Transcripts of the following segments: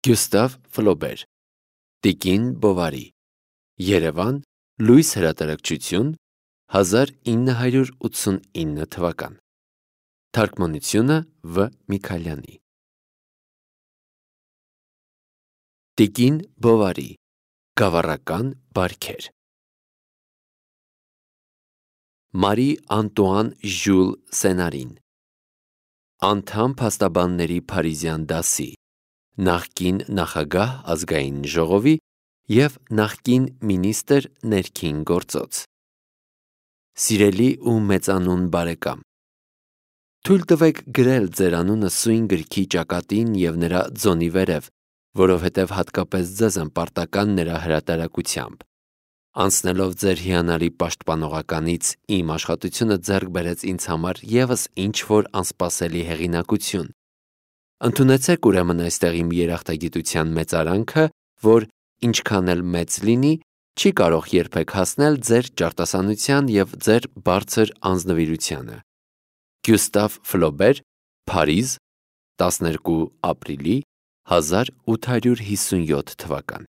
Գյուստավ Ֆլոբեր, Տիկին Բովարի, Երևան, Լույս հրատարակչություն, 1989 թվական։ Թարգմանությունը Վ. Միքայելյանի։ Տիկին Բովարի, Գավառական բարքեր։ Մարի Անտուան Ժյուլ Սենարին, անդամ փաստաբանների Փարիզյան դասի, նախկին նախագահ ազգային ժողովի և նախկին մինիստր ներքին գործոց։ Սիրելի ու մեծանուն բարեկամ, թույլ տվեք գրել ձեր անունը սույն գրքի ճակատին և նրա ձոնի վերև, որովհետև հատկապես ձեզ եմ պարտական նրա հրատարակությամբ։ Անցնելով ձեր հիանալի պաշտպանողականից իմ աշխատությունը ձեռք բերեց ինձ համար ևս ինչ-որ անսպասելի հեղինակություն։ Ընդունեցեք ուրեմն այստեղ իմ երախտագիտության մեծարանքը, որ ինչքան էլ մեծ լինի, չի կարող երբեք հասնել ձեր ճարտասանության և ձեր բարձր անձնվիրությանը։ Գյուստավ Ֆլոբեր, Փարիզ, 12 ապրիլի 1857 թվական։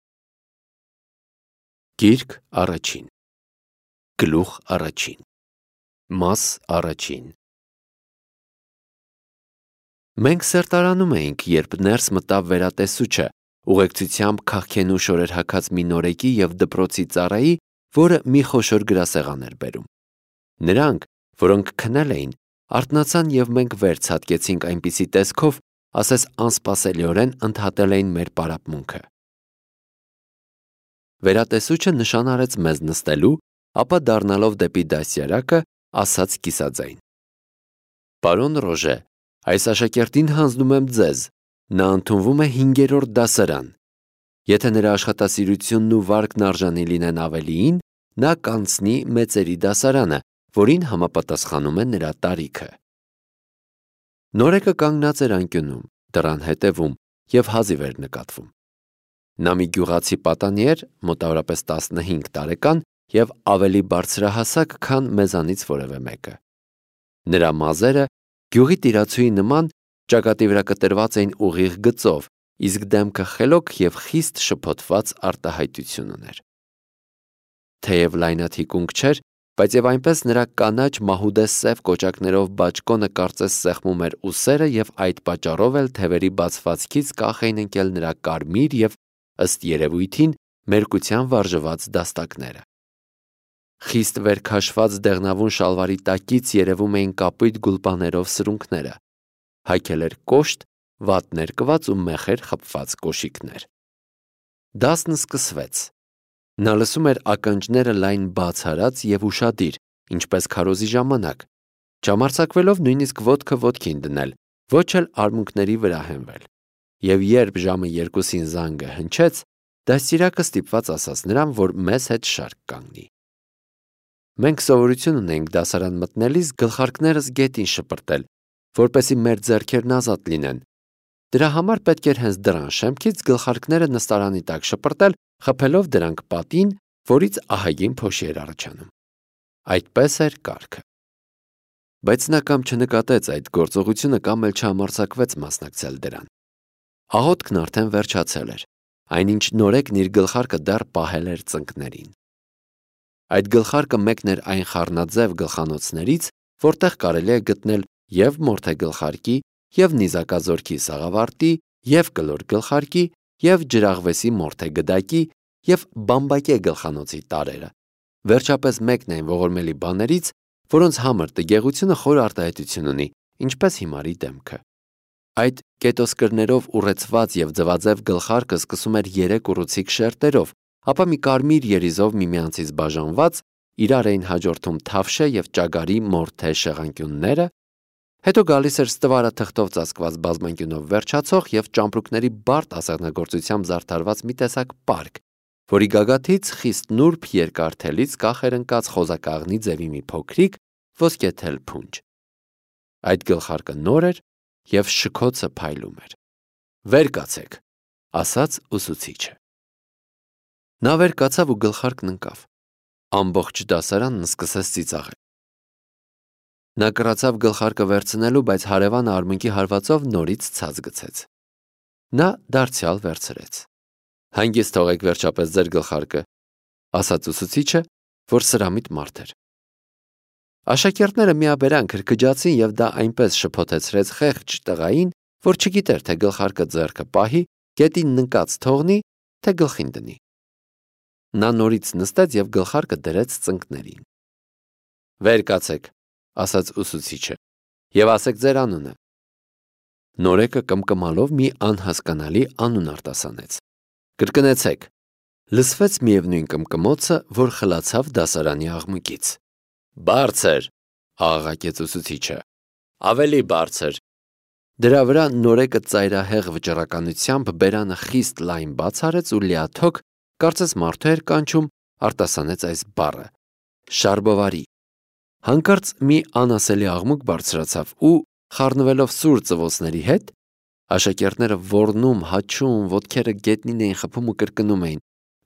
Գիրք առաջին, գլուխ առաջին, մաս առաջին։ Մենք սերտարանում էինք, երբ ներս մտավ վերատեսուչը, ուղեկցությամբ քաղքենու շորեր հագած մի նորեկի և դպրոցի ծառայի, որը մի խոշոր գրասեղան էր բերում։ Նրանք, որոնք քնել էին, արթնացան և մենք վեր ցատկեցինք այնպիսի տեսքով, ասես անսպասելիորեն ընդհատել էին մեր պարապմունքը։ Վերատեսուչը նշան արեց մեզ նստելու, ապա դառնալով դեպի դաստիարակը, ասաց կիսաձայն. «Պարոն Ռոժե, այս աշակերտին հանձնում եմ ձեզ, նա ընդունվում է 5-րդ դասարան։ Եթե նրա աշխատասիրությունն ու վարկն արժանի լինեն ավելիին, նա կանցնի մեծերի դասարանը, որին համապատասխանում է նրա տարիքը»։ Նորեկը կանգնած էր անկյունում, դռան հետևում և հազիվ էր նկատվում։ Նա մի գյուղացի պատանի էր, մոտավորապես 15 տարեկան և ավելի բարձրահասակ, քան մեզանից որևէ մեկը։ Նրա մազերը գյուղի տիրացուի նման ճակատի վրա կտրված էին ուղիղ գծով, իսկ դեմքը խելոք և խիստ շփոթված արտահայտություն ուներ։ Թեև լայնաթիկունք չէր, բայց և այնպես նրա կանաչ մահուդե սև կոճակներով բաճկոնը կարծես սեղմում էր ուսերը և այդ պատճառով էլ թևերի բացվածքից կախ էին ընկել նրա կարմիր և, ըստ երևույթին, մերկության վարժված դաստակները։ Խիստ վերքաշված դեղնավուն շալվարի տակից երևում էին կապույտ գուլպաներով սրունքները։ Հագել էր կոշտ, վատ ներկված ու մեխեր խփված կոշիկներ։ Դասն սկսվեց։ Նա լսում էր ականջները լայն բաց արած և ուշադիր, ինչպես քարոզի ժամանակ, չհամարձակվելով նույնիսկ ոտքը ոտքին դնել, ոչ էլ արմունկների վրա հենվել։ Եվ երբ ժամը 2-ին զանգը հնչեց, դաստիարակը ստիպված ասաց նրան, որ մեզ հետ շարք կանգնի։ Մենք սովորություն ունեինք դասարան մտնելիս գլխարկներս գետին շպրտել, որպեսզի մեր ձեռքերն ազատ լինեն։ Դրա համար պետք էր հենց դռան շեմքից գլխարկները նստարանի տակ շպրտել, խփելով դրանք պատին, որից ահագին փոշի էր առաջանում։ Այդպես էր կարգը։ Բայց նա կամ չնկատեց այդ գործողությունը, կամ էլ չհամարձակվեց մասնակցել դրան։ Աղոթքն արդեն վերջացել էր, այնինչ նորեկն իր գլխարկը դեռ պահել էր ծնկներին։ Այդ գլխարկը մեկն էր այն խառնաձև գլխանոցներից, որտեղ կարելի է գտնել և մորթե գլխարկի, և նիզակազորքի սաղավարտի, և կլոր գլխարկի, և ջրաղվեսի մորթե գդակի, և բամբակե գլխանոցի տարրերը։ Վերջապես մեկն այն ողորմելի բաներից, որոնց համր տգեղությունը խոր արտահայտություն ունի, ինչպես հիմարի դեմքը։ Այդ կետոսկրներով ուռեցված և ձվաձև գլխարկը սկսում էր 3 ուռուցիկ շերտերով, ապա մի կարմիր երիզով միմյանցից բաժանված, իրար էին հաջորդում թավշե և ճագարի մորթե շեղանկյունները, հետո գալիս էր ստվարաթղթով ծածկված բազմանկյունով վերջացող և ճամպրուկների բարդ ասեղնագործությամբ զարդարված մի տեսակ պարկ, որի գագաթից խիստ նուրբ երկար թելից կախ էր ընկած խոզակաղնի ձևի մի փոքրիկ ոսկեթել փունջ։ Այդ գլխարկը նոր էր և շքոցը փայլում էր։ «Վեր կացեք», ասաց ուսուցիչը։ Նա վեր կացավ ու գլխարկն ընկավ։ Ամբողջ դասարանն սկսեց ծիծաղել։ Նա կռացավ գլխարկը վերցնելու, բայց հարևանը արմունկի հարվածով նորից ցած գցեց։ Նա դարձյալ վերցրեց։ Հանգիստ թողեք վերջապես ձեր գլխարկը, ասաց ուսուցիչը, որ սրամիտ մարդ էր։ Աշակերտները միաբերան քրքջացին եւ դա այնպես շփոթեցրեց խեղճ տղային, որ չգիտեր, թե գլխարկը ձեռքը պահի, գետին նկած թողնի, թե գլխին դնի։ Նա նորից նստեց եւ գլխարկը դրեց ծնկներին։ Վեր կացեք, ասաց ուսուցիչը, եւ ասեք ձեր անունը։ Նորեկը կմկմալով մի անհասկանալի անուն արտասանեց։ Կրկնեցեք։ Լսվեց միևնույն կմկմոցը, որ խլացավ դասարանի աղմուկից։ Բարձր, աղաղակեց ուսուցիչը։ Ավելի բարձր։ Դրա վրա նորեկը ծայրահեղ վճռականությամբ բերանը խիստ լայն բաց արեց ու լիաթոք, կարծես մարդու էր կանչում, արտասանեց այս բառը. շարբովարի։ Հանկարծ մի անասելի աղմուկ բարձրացավ ու, խառնվելով սուր ծվոցների հետ, աշակերտները ոռնում, հաչում, ոտքերը գետնին էին խփում ու կրկնում էին.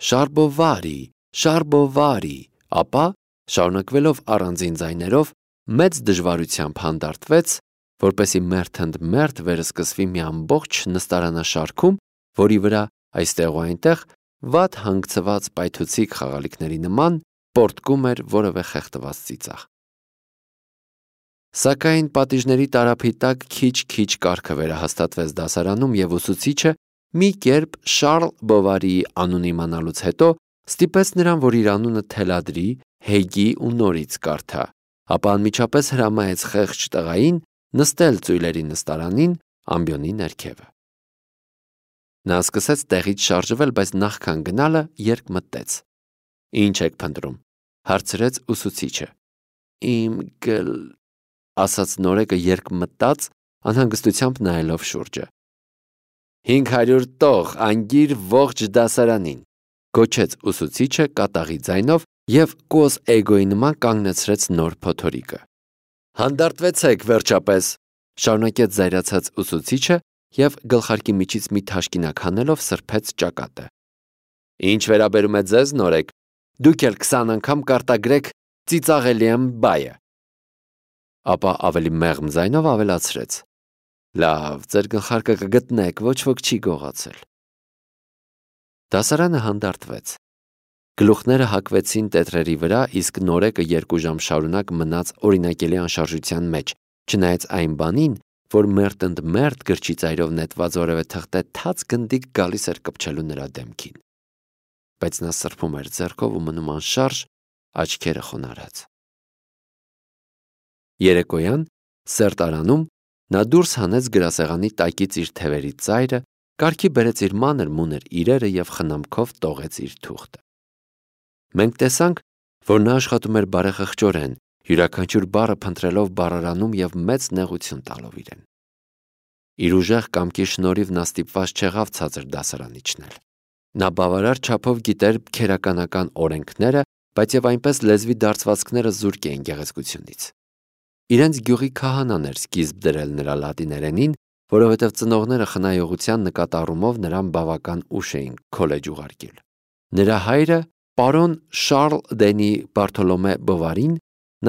շարբովարի, շարբովարի, ապա, շարունակվելով առանձին ձայներով, մեծ դժվարությամբ հանդարտվեց, որպեսզի մերթ վերսկսվի մի ամբողջ նստարանաշարքում, որի վրա այստեղ ու այնտեղ վատ հանգցված պայթուցիկ խաղալիքների նման պոռթկում էր որևէ խեղդված ծիծաղ։ Սակայն պատիժների տարափի տակ քիչ-քիչ կարգը վերահաստատվեց դասարանում եւ ուսուցիչը մի կերպ Շարլ Բովարիի անուն իմանալուց հետո ստիպեց նրան, որ իր անունը թելադրի, հեգի ու նորից կարդա, ապա անմիջապես հրամայեց խեղճ տղային նստել ծույլերի նստարանին ամբիոնի ներքևը։ Նա սկսեց տեղից շարժվել, բայց նախքան գնալը երկ մտեց։ Ինչ եք փնտրում, հարցրեց ուսուցիչը։ Իմ ասաց նորեկը երկմտած, անհանգստությամբ նայելով շուրջը։ 500 տող անգիր ողջ դասարանին, գոչեց ուսուցիչը կատաղի ձայնով եւ կոզ էգոյի նման կանգնեցրեց նոր փոթորիկը։ Հանդարտվեցեք վերջապես, շարունակեց զայրացած ուսուցիչը եւ գլխարկի միջից մի թաշկինակ հանելով սրբեց ճակատը։ Ինչ վերաբերում է ձեզ, նորեկ, դուք էլ 20 անգամ կարտագրեք ծիծաղելի եմ բայը։ Ապա ավելի մեղմ ձայնով ավելացրեց. Լավ, ձեր գլխարկը կգտնեք, ոչ ոք չի գողացել։ Դասարանը հանդարտվեց։ Գլուխները հակվեցին տետրերի վրա, իսկ նորեկը 2 ժամ շարունակ մնաց օրինակելի անշարժության մեջ, չնայած այն բանին, որ մերթ գրչի ծայրով նետված որևէ թղթե թաց գնդիկ գալիս էր կպչելու նրա դեմքին։ Բայց նա սրբում էր ձեռքով ու մնում անշարժ, աչքերը խոնարհած։ Երեկոյան սերտարանում նա դուրս հանեց գրասեղանի տակից իր թևերի ծայրը, կարգի բերեց իր մանր-մունր իրերը եւ խնամքով տողեց իր թուղթը։ Մենք տեսանք, որ նա աշխատում էր բարեխղճորեն, յուրաքանչյուր բառը փնտրելով բառարանում եւ մեծ նեղություն տալով իրեն։ Իր ուժեղ կամքի շնորհիվ նա ստիպված չեղավ ցածր դասարան իջնել։ Նա բավարար չափով գիտեր քերականական օրենքները, բայց եւ այնպես լեզվի դարձվածքները զուրկ էին գեղեցկությունից։ Իրենց գյուղի քահանան էր սկիզբ դրել նրա լատիներենին, որովհետև ծնողները խնայողության նկատառումով նրան բավական ուշ էին քոլեջ ուղարկել։ Նրա հայրը, պարոն Շարլ Դենի Բարտոլոմե Բովարին,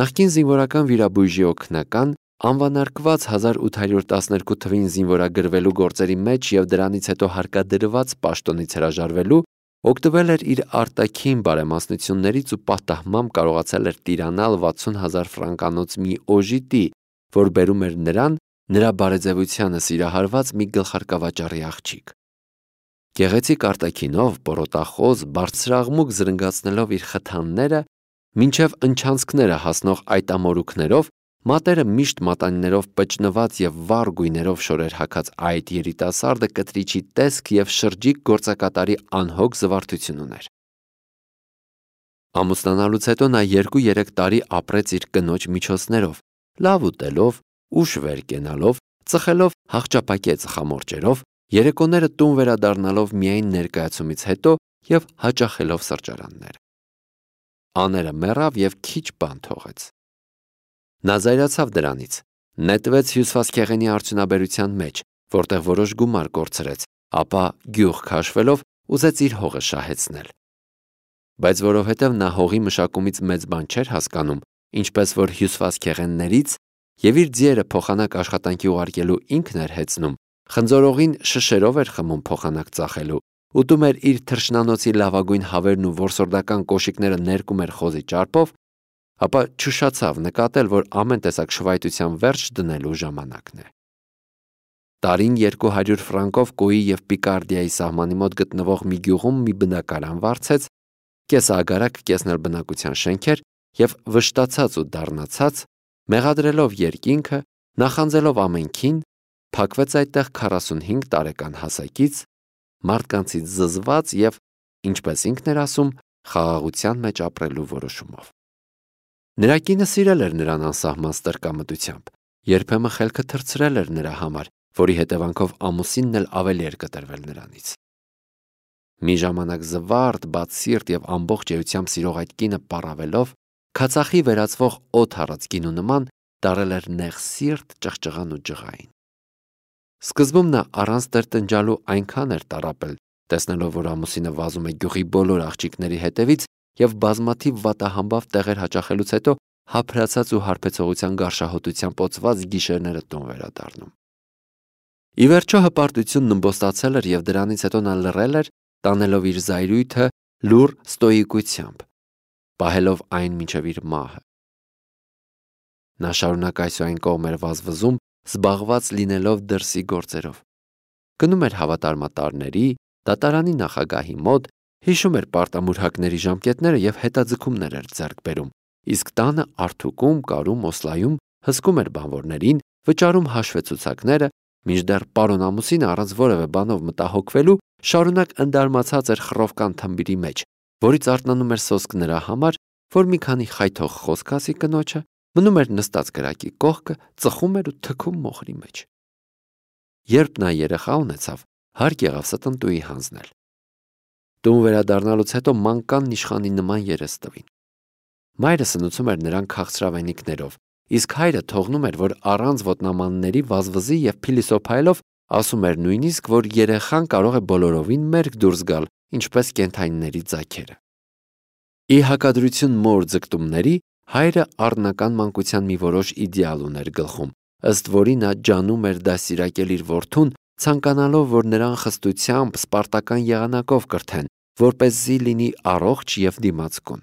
նախկին զինվորական վիրաբույժի օգնական, անվանարկված 1812 թվին զինվորագրվելու գործերի մեջ եւ դրանից հետո հարկադրված պաշտոնից հրաժարվելու, օգտվել էր իր արտաքին բարեմասնություններից ու պատահմամբ կարողացել էր տիրանալ 60,000 ֆրանկանոց մի օժիտի, որ բերում էր նրան նրա բարեձևությանը սիրահարված մի գլխարկավաճառի աղջիկ։ Գեղեցիկ արտաքինով, պորոտախոզ, բարձրաղմուկ զրնգացնելով իր խթանները, մինչև ընչանցքները հասնող այդ ամորուքներով, մատերը միշտ մատանիներով պճնված եւ վառ գույներով շորեր հագած այդ երիտասարդը կտրիչի տեսք եւ շրջիկ գործակատարի անհոգ զվարթություն ուներ։ Ամուսնանալուց հետո նա 2-3 տարի ապրեց իր կնոջ միջոցներով, լավ ուտելով, ուշ վեր կենալով, ծխելով հաղճապակե ծխամորճերով, երեկոները տուն վերադառնալով միայն ներկայացումից հետո եւ հաճախելով սրճարաններ։ Աները մեռավ եւ քիչ բան թողեց։ Նա զայրացավ դրանից, նետվեց հյուսվածքեղենի արդյունաբերության մեջ, որտեղ որոշ գումար կորցրեց, ապա գյուղ քաշվելով ուզեց իր հողը շահեցնել։ Բայց որովհետև նա հողի մշակումից մեծ բան չէր հասկանում, ինչպես որ հյուսվածքեղեններից եւ իր ձիերը փոխանակ աշխատանքի ուղարկելու ինքն էր հեծնում, խնձորողին շշերով էր խմում փոխանակ ծախելու, ուտում էր իր թռչնանոցի լավագույն հավերն ու որսորդական կոշիկները ներկում էր խոզի ճարպով, ապա չուշացավ նկատել, որ ամեն տեսակ շվայտության վերջ դնելու ժամանակն է։ Տարին 200 ֆրանկով Կոյի և Պիկարդիայի սահմանի մոտ գտնվող մի գյուղում մի բնակարան վարձեց, կեսագարակ կեսնել բնակության շենքեր և վշտացած ու դառնացած, մեղադրելով երկինքը, նախանձելով ամենքին, փակվեց այդտեղ 45 տարեկան հասակից, մարդկանցից զզված և, ինչպես ինքն էր ասում, խաղաղության մեջ ապրելու որոշումով։ Նրա կինը սիրել էր նրան անսահման ստրկամտությամբ, երբեմն խելքը թռցրել էր նրա համար, որի հետևանքով ամուսինն էլ ավելի էր կտրվել նրանից։ Մի ժամանակ զվարթ, բաց սիրտ և ամբողջ էությամբ սիրող այդ կինը պառավելով, քացախի վերածվող օդ առած գինու նման դարել էր նեղ սիրտ, ճղճղան ու ջղային։ Սկզբում նա առանց տրտնջալու այնքան էր տառապել, տեսնելով, որ ամուսինը վազում է գյուղի բոլոր աղջիկների հետևից և բազմաթիվ վատահամբավ տեղեր հաճախելուց հետո հափրացած ու հարբեցողության գարշահոտությամբ օծված գիշերները տուն վերադառնում։ Ի վերջո հպարտությունն ըմբոստացել էր և դրանից հետո նա լռել էր, տանելով իր զայրույթը լուռ ստոիկությամբ, պահելով այն մինչև իր մահը։ Նա շարունակ այս ու այն կողմ էր վազվզում, զբաղված լինելով դրսի գործերով։ Գնում էր հավատարմատարների, դատարանի նախագահի մոտ, հիշում էր պարտամուրհակների ժամկետները և հետաձգումներ էր ձեռք բերում, իսկ տանը արթուկում, կարում, օսլայում հսկում էր բանվորներին, վճարում հաշվեցուցակները, մինչդեռ պարոն ամուսինը առանց որևէ բանով մտահոգվելու շարունակ ընդարմացած էր խռովկան թմբիրի մեջ, որից արթնանում էր սոսկ նրա համար, որ մի քանի խայթող խոսք ասի կնոջը, մնում էր նստած կրակի կողքը, ծխում էր ու թքում մոխրի մեջ։ Երբ նա երեխա ունեցավ, հարկ եղավ ստնտուի հանձնել։ Տուն վերադառնալուց հետո մանկան իշխանի նման երես տվին։ Մայրը սնուցում էր նրան քաղցրավենիքներով, իսկ հայրը թողնում էր, որ առանց ոտնամանների վազվզի և փիլիսոփայելով ասում էր նույնիսկ, որ երեխան կարող է բոլորովին մերկ դուրս գալ, ինչպես կենդանիների ձագերը։ Ի հակադրություն մոր ձգտումների, հայրը առնական մանկության մի որոշ իդեալ ուներ գլխում, ըստ որի նա ջանում էր դաստիարակել իր որդուն, ցանկանալով, որ նրան խստությամբ, սպարտական եղանակով կրթեն, որպեսզի լինի առողջ և դիմացկուն։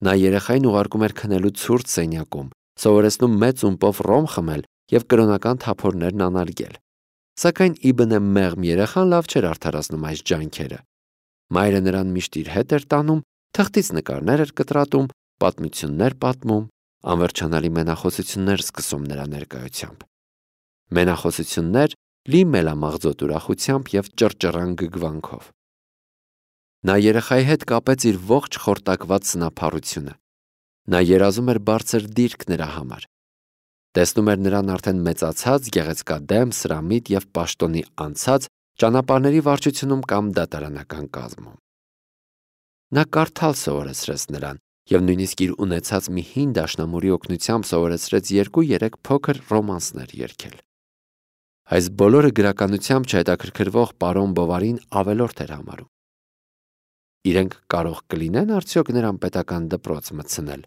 Նա երեխային ուղարկում էր քնելու ցուրտ սենյակում, սովորեցնում մեծ ումպով ռոմ խմել և կրոնական թափորներն անարգել։ Սակայն իբնե մեղմ երեխան լավ չէր արդարացնում այս ջանքերը։ Մայրը նրան միշտ իր հետ էր տանում, թղթից նկարներ էր կտրատում, պատմություններ պատմում, անվերջանալի մենախոսություններ սկսում նրա ներկայությամբ։ Մենախոսություններ լի մելամաղձոտ ուրախությամբ և ճռճռան գգվանքով։ Նա երեխայի հետ կապեց իր ողջ խորտակված սնափառությունը։ Նա երազում էր բարձր դիրք նրա համար։ Տեսնում էր նրան արդեն մեծացած, գեղեցկադեմ, սրամիտ և պաշտոնի անցած ճանապարհների վարչությունում կամ դատարանական կազմում։ Նա կարդալ սովորեցրեց նրան և նույնիսկ իր ունեցած մի հին դաշնամուրի օգնությամբ սովորեցրեց 2-3 փոքր ռոմանսներ երգել։ Այս բոլորը գրականությամբ չհետաքրքրվող պարոն Բովարին ավելորդ էր համարում։ Իրենք կարող կլինեն արդյոք նրան պետական դպրոց մտցնել,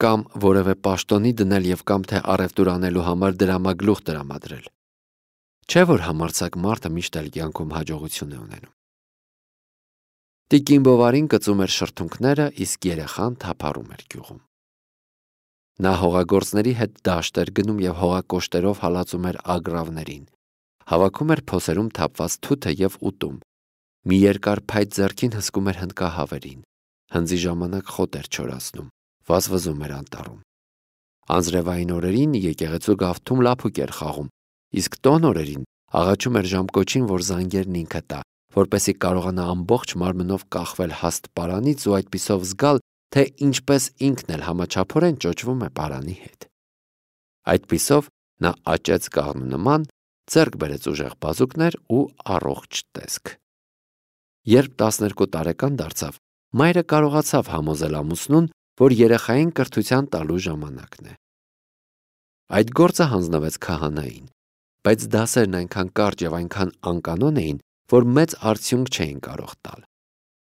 կամ որևէ պաշտոնի դնել և կամ թե առևտուր անելու համար դրամագլուխ տրամադրել։ Չէ՞ որ համարձակ մարդը միշտ էլ կյանքում հաջողություն է ունենում։ Տիկին Բովարին կծում էր շրթունքները, իսկ երեխան թափառում էր գյուղում։ Նա հողագործների հետ դաշտ էր գնում և հողակոշտերով հալածում էր ագռավներին, հավաքում էր փոսերում թափված թութը և ուտում։ Մի երկար փայտ ձեռքին հսկում էր հնդկահավերին, հնձի ժամանակ խոտ էր չորացնում, վազվզում էր անտառում։ Անձրևային օրերին եկեղեցու գավթում լափուկ էր խաղում, իսկ տոն օրերին աղաչում էր ժամկոչին, որ զանգերն ինքը տա, որպեսզի կարողանա ամբողջ մարմնով կախվել հաստ պարանից ու այդպիսով զգալ, թե ինչպես ինքն էլ համաչափորեն ճոճվում է պարանի հետ։ Այդպիսով նա աճեց կաղնու նման, ձեռք բերեց ուժեղ բազուկներ ու առողջ տեսք։ Երբ 12 տարեկան դարձավ, մայրը կարողացավ համոզել ամուսնուն, որ երեխային կրթության տալու ժամանակն է։ Այդ գործը հանձնվեց քահանային, բայց դասերն այնքան կարճ և այնքան անկանոն էին, որ մեծ արդյունք չէին կարող տալ։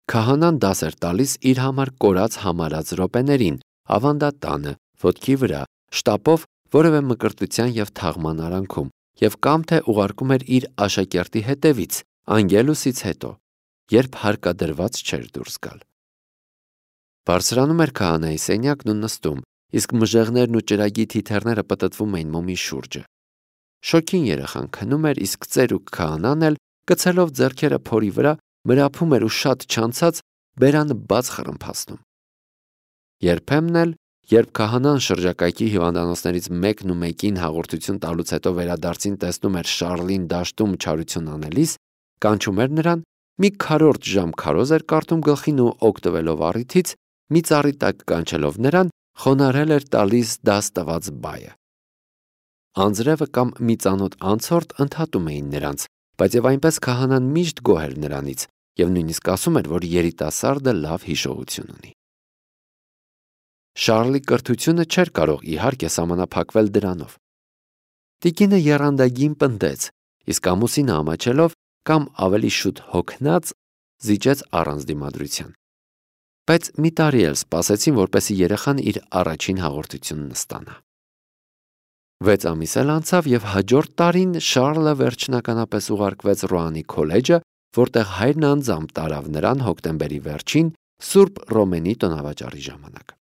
Քահանան դաս էր տալիս իր համար կորած համարած րոպեներին, ավանդատանը, ոտքի վրա, շտապով որևէ մկրտության և թաղման արանքում և կամ թե ուղարկում էր իր աշակերտի հետևից, անգելուսից հետո, երբ հարկադրված չէր դուրս գալ։ Բարձրանում էր քահանայի սենյակն ու նստում, իսկ մժեղներն ու ճրագի թիթեռները պտտվում էին մոմի շուրջը։ Շոգին երեխան քնում էր, իսկ ծերուկ քահանան էլ, գցելով ձեռքերը փորի վրա, մրափում էր ու շատ չանցած բերանը բաց խռմփացնում։ Երբեմն էլ, երբ քահանան շրջակայքի հիվանդանոցներից մեկն ու մեկին հաղորդություն տալուց հետո վերադարձին տեսնում էր Շառլին դաշտում չարություն անելիս, կանչում էր նրան, մի քառորդ ժամ քարոզ էր կարդում գլխին ու օգտվելով առիթից, մի ծառի տակ կանչելով նրան, խոնարհել էր տալիս դաս տված բայը։ Անձրևը կամ մի ծանոթ անցորդ ընդհատում էին նրանց, բայց եւ այնպես քահանան միշտ գոհ էր նրանից եւ նույնիսկ ասում էր, որ երիտասարդը լավ հիշողություն ունի։ Շառլի կրթությունը չէր կարող իհարկե սահմանափակվել դրանով։ Տիկինը եռանդագին պնդեց, իսկ ամուսինը ամաչելով կամ ավելի շուտ հոգնած զիջեց առանց դիմադրության։ Բայց մի տարի էլ սպասեցին, որպեսզի երեխան իր առաջին հաղորդությունն ստանա։ 6 ամիս էլ անցավ եւ հաջորդ տարին Շառլը վերջնականապես ուղարկվեց Ռոանի քոլեջը, որտեղ հայրն անձամբ տարավ նրան հոկտեմբերի վերջին Սուրբ Ռոմենի տոնավաճառի ժամանակ։